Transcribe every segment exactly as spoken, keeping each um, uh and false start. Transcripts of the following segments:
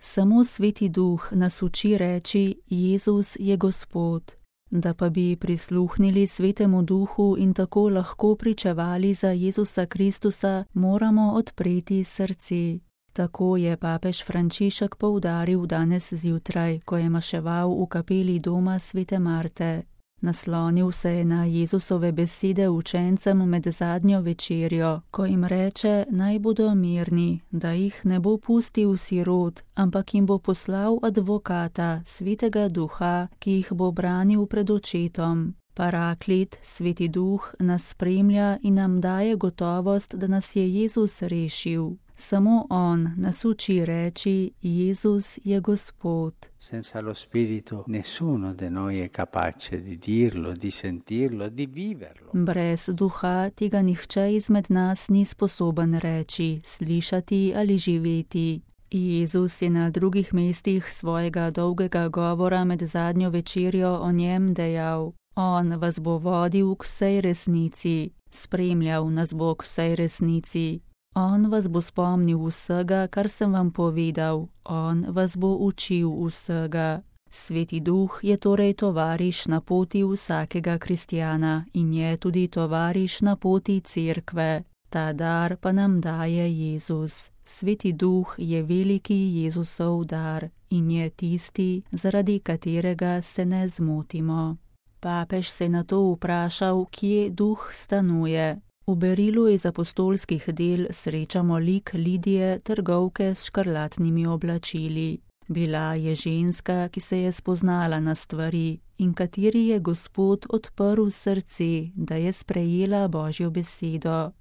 Samo Sveti Duh nas uči reči: Jezus je Gospod. Da pa bi prisluhnili Svetemu Duhu in tako lahko pričevali za Jezusa Kristusa, moramo odpreti srce. Tako je papež Frančišek poudaril danes zjutraj, ko je maševal v kapeli doma Svete Marte. Naslonil se je na Jezusove besede učencem med zadnjo večerjo, ko jim reče, naj bodo mirni, da jih ne bo pustil sirot, ampak jim bo poslal advokata, Svetega Duha, ki jih bo branil pred očetom. Paraklit, Sveti Duh, nas spremlja in nam daje gotovost, da nas je Jezus rešil. Samo On nas uči reči: Jezus je Gospod. Senza lo Spirito nessuno di noi è capace di dirlo, di sentirlo, di viverlo. Brez Duha tega nihče izmed nas ni sposoben reči, slišati ali živeti. Jezus je na drugih mestih svojega dolgega govora med zadnjo večerjo o njem dejal: On vas bo vodil k vsej resnici, spremljal nas bo k vsej resnici. On vas bo spomnil vsega, kar sem vam povedal, on vas bo učil vsega. Sveti Duh je torej tovariš na poti vsakega kristjana in je tudi tovariš na poti cerkve. Ta dar pa nam daje Jezus. Sveti Duh je veliki Jezusov dar in je tisti, zaradi katerega se ne zmotimo. Papež se je nato vprašal, kje Duh stanuje. V berilu iz apostolskih del srečamo lik Lidije, trgovke s škrlatnimi oblačili. Bila je ženska, ki se je spoznala na stvari in kateri je Gospod odprl srce, da je sprejela Božjo besedo.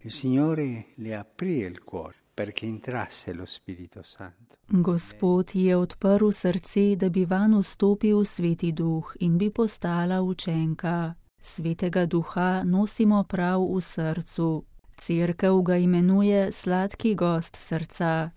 Gospod ji je odprl srce, da bi vanj vstopil Sveti Duh in bi postala učenka. Svetega Duha nosimo prav v srcu. Cerkev ga imenuje sladki gost srca.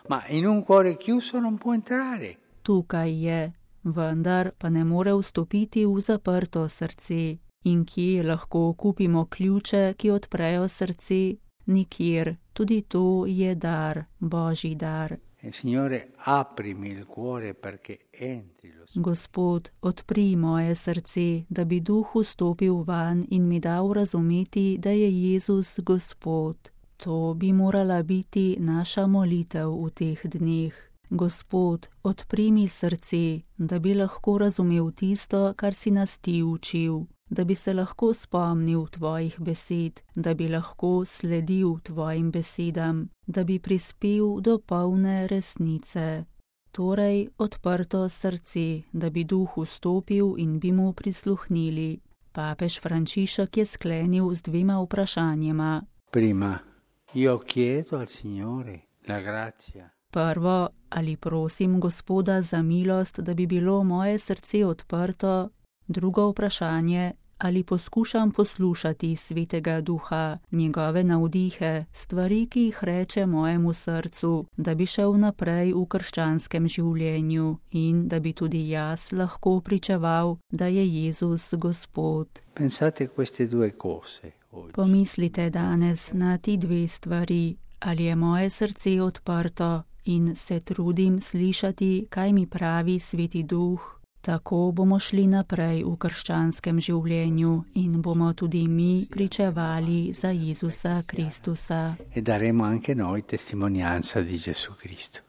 Ma in un cuore chiuso non può entrare. Tukaj je, vendar pa ne more vstopiti v zaprto srce. In kje lahko kupimo ključe, ki odprejo srce? Nikjer. Tudi to je dar, Božji dar. Signore, aprimi il cuore perché entri lo Spirito. Gospod, odpri moje srce, da bi Duh vstopil van in mi dal razumeti, da je Jezus Gospod. To bi morala biti naša molitev v teh dneh. Gospod, odpri mi srce, da bi lahko razumel tisto, kar si nas ti učil, da bi se lahko spomnil tvojih besed, da bi lahko sledil tvojim besedam, da bi prispel do polne resnice. Torej, odprto srce, da bi Duh vstopil in bi mu prisluhnili. Papež Frančišek je sklenil z dvema vprašanjema. Prima, io chiedo al Signore la grazia. Prvo, ali prosim Gospoda za milost, da bi bilo moje srce odprto. Drugo vprašanje, ali poskušam poslušati Svetega Duha, njegove navdihe, stvari, ki jih reče mojemu srcu, da bi šel naprej v krščanskem življenju in da bi tudi jaz lahko pričeval, da je Jezus Gospod. Pensate queste due cose oggi. Pomislite danes na ti dve stvari, ali je moje srce odprto in se trudim slišati, kaj mi pravi Sveti Duh. Tako bomo šli naprej v krščanskem življenju in bomo tudi mi pričevali za Jezusa Kristusa. E daremo anche noi testimonianza di Gesù Cristo.